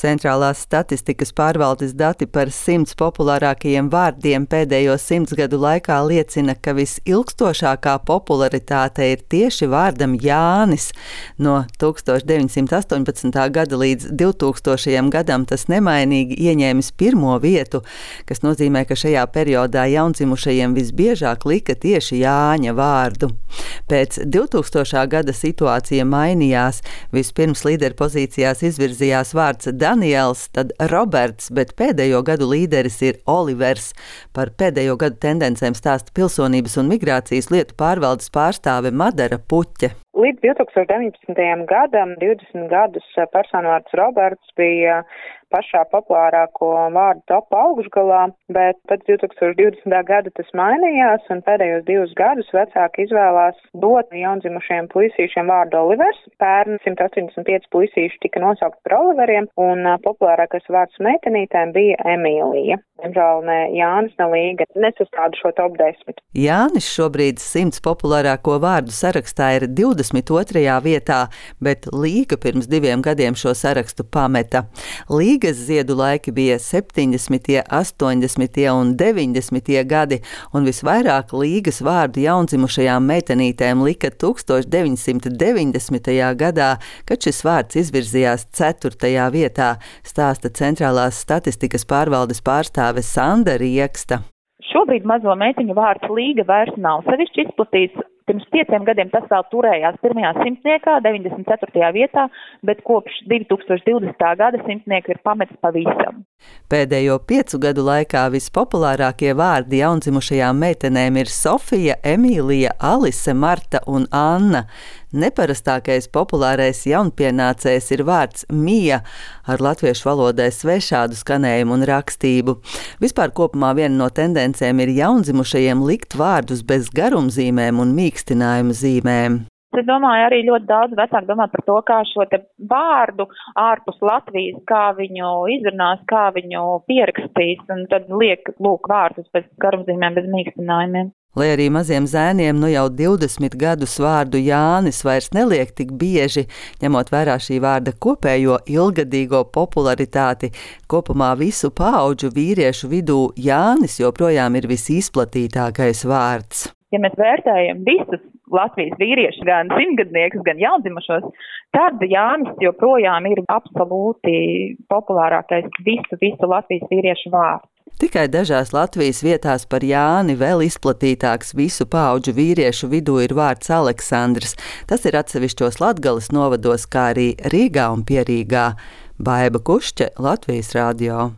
Centrālās statistikas pārvaldes dati par 100 populārākajiem vārdiem pēdējo 100 gadu laikā liecina, ka visilgstošākā popularitāte ir tieši vārdam Jānis. No 1918. gada līdz 2000. gadam tas nemainīgi ieņēmis pirmo vietu, kas nozīmē, ka šajā periodā jaundzimušajiem visbiežāk lika tieši Jāņa vārdu. Pēc 2000. gada situācija mainījās. Vispirms līderpozīcijās izvirzījās vārds Daniels, tad Roberts, bet pēdējo gadu līderis ir Olivers. Par pēdējo gadu tendencēm stāsta Pilsonības un migrācijas lietu pārvaldes pārstāve Madara Puķe. Līdz 2019. gadam 20 gadus personvārds Roberts bija pašā populārāko vārdu topa augšgalā, bet pēc 2020. gada tas mainījās, un pēdējos 2 gadus vecāki izvēlās dot jaundzimušajiem puisīšiem vārdu Olivers. Pērn 185 puisīši tika nosaukti par Oliveriem, un populārākais vārds meitenītēm bija Emīlija. Diemžēl ne Jānis, ne Līga nesastāda šo top 10. Jānis šobrīd 100 populārāko vārdu sarakstā ir 22. vietā, bet Līga pirms 2 gadiem šo sarakstu pameta. Līgas ziedu laiki bija 70., 80. un 90. gadi, un visvairāk Līgas vārdu jaundzimušajām meitenītēm lika 1990. gadā, kad šis vārds izvirzījās 4. vietā, stāsta Centrālās statistikas pārvaldes pārstāve Sanda Rieksta. Šobrīd mazo meitiņu vārds Līga vairs nav sevišķi izplatīts. Pirms 5 gadiem tas vēl turējās pirmajā simtniekā, 94. vietā, bet kopš 2020. gada simtnieku ir pametis pavisam. Pēdējo 5 gadu laikā vispopulārākie vārdi jaundzimušajām meitenēm ir Sofija, Emīlija, Alise, Marta un Anna. Neparastākais populārais jaunpienācējs ir vārds Mija, ar latviešu valodai svešādu skanējumu un rakstību. Vispār kopumā viena no tendencēm ir jaundzimušajiem likt vārdus bez garumzīmēm un mīkstinājuma zīmēm. Es domāju, arī ļoti daudz vecāku domā par to, kā šo te vārdu ārpus Latvijas, kā viņu izrunās, kā viņu pierakstīs, un tad liek lūk vārdus bez garumzīmēm, bez mīkstinājumiem. Lai arī maziem zēniem nu jau 20 gadus vārdu Jānis vairs neliek tik bieži, ņemot vērā šī vārda kopējo ilgadīgo popularitāti, kopumā visu paudžu vīriešu vidū Jānis joprojām ir visizplatītākais vārds. Ja mēs vērtējam visus Latvijas vīriešus, gan simtgadniekus, gan jaundzimušos, tad Jānis joprojām ir absolūti populārākais visu Latvijas vīriešu vārds. Tikai dažās Latvijas vietās par Jāni vēl izplatītāks visu paudžu vīriešu vidū ir vārds Aleksandrs. Tas ir atsevišķos Latgales novados, kā arī Rīgā un Pierīgā. Baiba Kušķe, Latvijas radio.